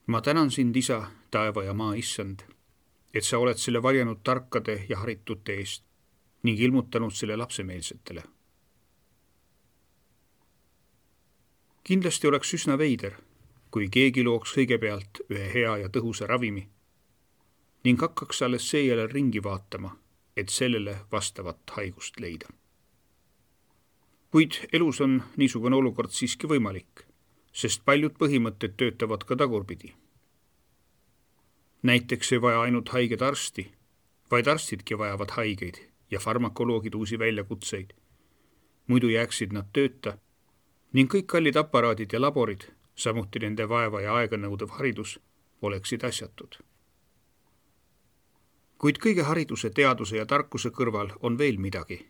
Ma tänan sind, Isa, taeva ja maa issand, et sa oled selle varjanud tarkade ja haritute eest ning ilmutanud selle lapsemeelsetele. Kindlasti oleks üsna veider, kui keegi looks kõigepealt ühe hea ja tõhusa ravimi ning hakkaks alles seejärel ringi vaatama, et sellele vastavat haigust leida. Kuid elus on niisugune olukord siiski võimalik, sest paljud põhimõtted töötavad ka tagurpidi. Näiteks ei vaja ainult haiged arsti, vaid arstidki vajavad haigeid ja farmakoloogid uusi väljakutseid. Muidu jääksid nad tööta ning kõik kallid aparaadid ja laborid, samuti nende vaeva ja aega nõudev haridus, oleksid asjatud. Kuid kõige hariduse, teaduse ja tarkuse kõrval on veel midagi,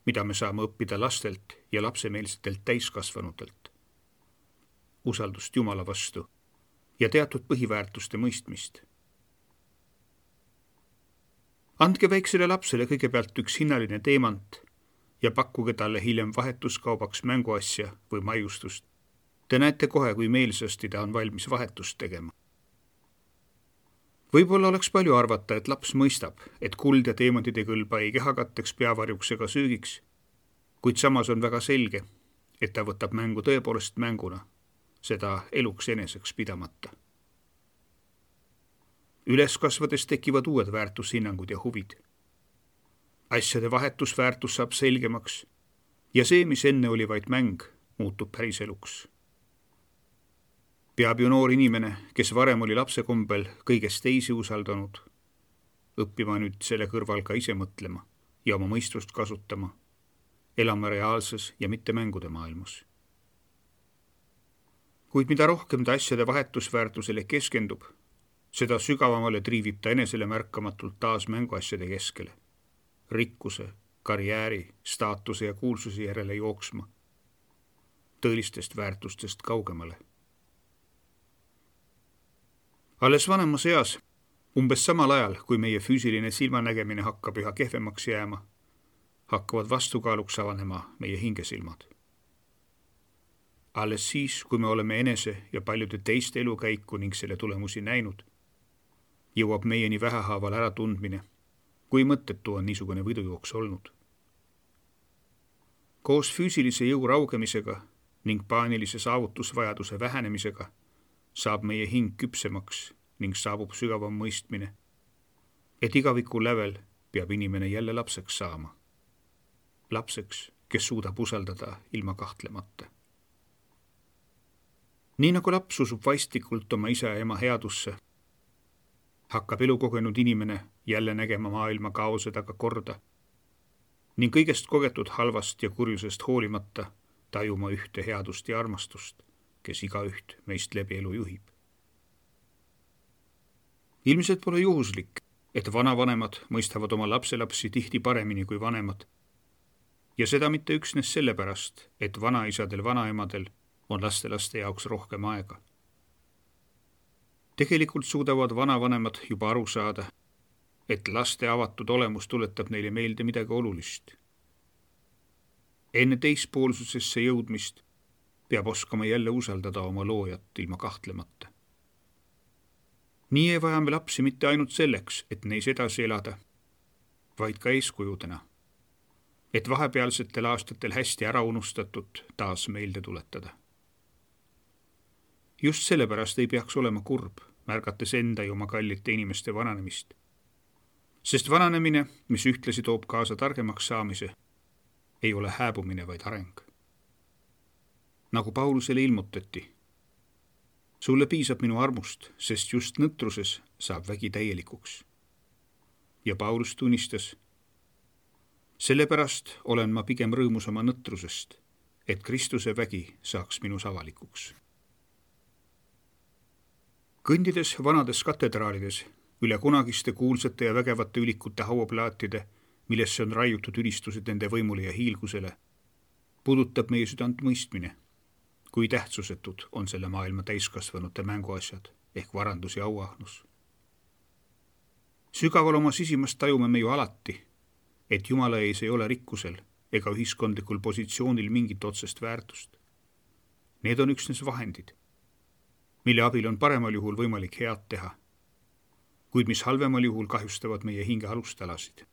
mida me saame õppida lastelt ja lapsemeelsetelt täiskasvanutelt. Usaldust Jumala vastu ja teatud põhiväärtuste mõistmist. Andke väiksele lapsele kõigepealt üks hinnaline teemant ja pakkuge talle hiljem vahetuskaubaks mänguasja või maiustust. Te näete kohe, kui meelsasti ta on valmis vahetust tegema. Võib-olla oleks palju arvata, et laps mõistab, et kuld ja teemantid ei kõlba ei kehakatteks, peavarjuks ega söögiks, kuid samas on väga selge, et ta võtab mängu tõepoolest mänguna, seda eluks eneseks pidamata. Üles kasvades tekivad uued väärtushinnangud ja huvid. Asjade vahetusväärtus saab selgemaks ja see, mis enne oli vaid mäng, muutub päris eluks. Peab ju noor inimene, kes varem oli lapse kombel kõigest teisi usaldanud, õppima nüüd selle kõrval ka ise mõtlema ja oma mõistust kasutama, elama reaalses ja mitte mängude maailmas. Kuid mida rohkem ta asjade vahetusväärtusele keskendub, seda sügavamale triivib ta enesele märkamatult taas mänguasjade keskele, rikkuse, karjääri, staatuse ja kuulsuse järele jooksma, tõelistest väärtustest kaugemale. Alles vanemas eas, umbes samal ajal, kui meie füüsiline silmanägemine hakkab üha kehvemaks jääma, hakkavad vastukaaluks avanema meie hingesilmad. Alles siis, kui me oleme enese ja paljude teiste elukäiku ning selle tulemusi näinud, jõuab meieni vähehaaval ära tundmine, kui mõttetu on niisugune võidujooks olnud. Koos füüsilise jõu raugemisega ning paanilise saavutusvajaduse vähenemisega saab meie hing küpsemaks ning saabub sügavam mõistmine, et igaviku lävel peab inimene jälle lapseks saama. Lapseks, kes suudab usaldada ilma kahtlemata. Nii nagu laps usub vaistikult oma isa ja ema headusse, hakkab elukogenud inimene jälle nägema maailma kaose taga korda ning kõigest kogetud halvast ja kurjusest hoolimata tajuma ühte headust ja armastust, kes igaüht meist läbi elu juhib. Ilmselt pole juhuslik, et vanavanemad mõistavad oma lapselapsi tihti paremini kui vanemad ja seda mitte üksnes sellepärast, et vanaisadel, vanaemadel on lastelaste jaoks rohkem aega. Tegelikult suudavad vanavanemad juba aru saada, et laste avatud olemus tuletab neile meelde midagi olulist. Enne teispoolsusesse jõudmist peab oskama jälle usaldada oma loojat ilma kahtlemata. Nii ei vaja me lapsi mitte ainult selleks, et neis edasi elada, vaid ka eeskujudena, et vahepealsetel aastatel hästi ära unustatud taas meelde tuletada. Just sellepärast ei peaks olema kurb, märgates enda ja oma kallite inimeste vananemist. Sest vananemine, mis ühtlasi toob kaasa targemaks saamise, ei ole hääbumine, vaid areng. Nagu Paulusele ilmutati, sulle piisab minu armust, sest just nõtruses saab vägi täielikuks. Ja Paulus tunnistas, sellepärast olen ma pigem rõõmus oma nõtrusest, et Kristuse vägi saaks minus avalikuks. Kõndides vanades katedraalides, üle kunagiste kuulsate ja vägevate ülikute hauaplaatide, millesse on raiutud ülistused nende võimule ja hiilgusele, puudutab meie südant mõistmine, kui tähtsusetud on selle maailma täiskasvanute mänguasjad ehk varandus ja auahnus. Sügaval oma sisimast tajume me ju alati, et Jumala ees ei ole rikkusel ega ühiskondlikul positsioonil mingit otsest väärtust. Need on üksnes vahendid. mille abil on paremal juhul võimalik head teha, kuid mis halvemal juhul kahjustavad meie hinge alustalasid.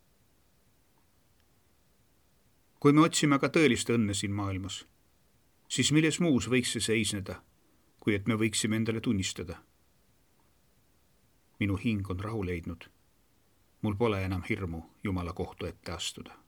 Kui me otsime ka tõelist õnne siin maailmas, siis milles muus võiks see seisneda, kui et me võiksime endale tunnistada. Minu hing on rahu leidnud. Mul pole enam hirmu Jumala kohtu ette astuda.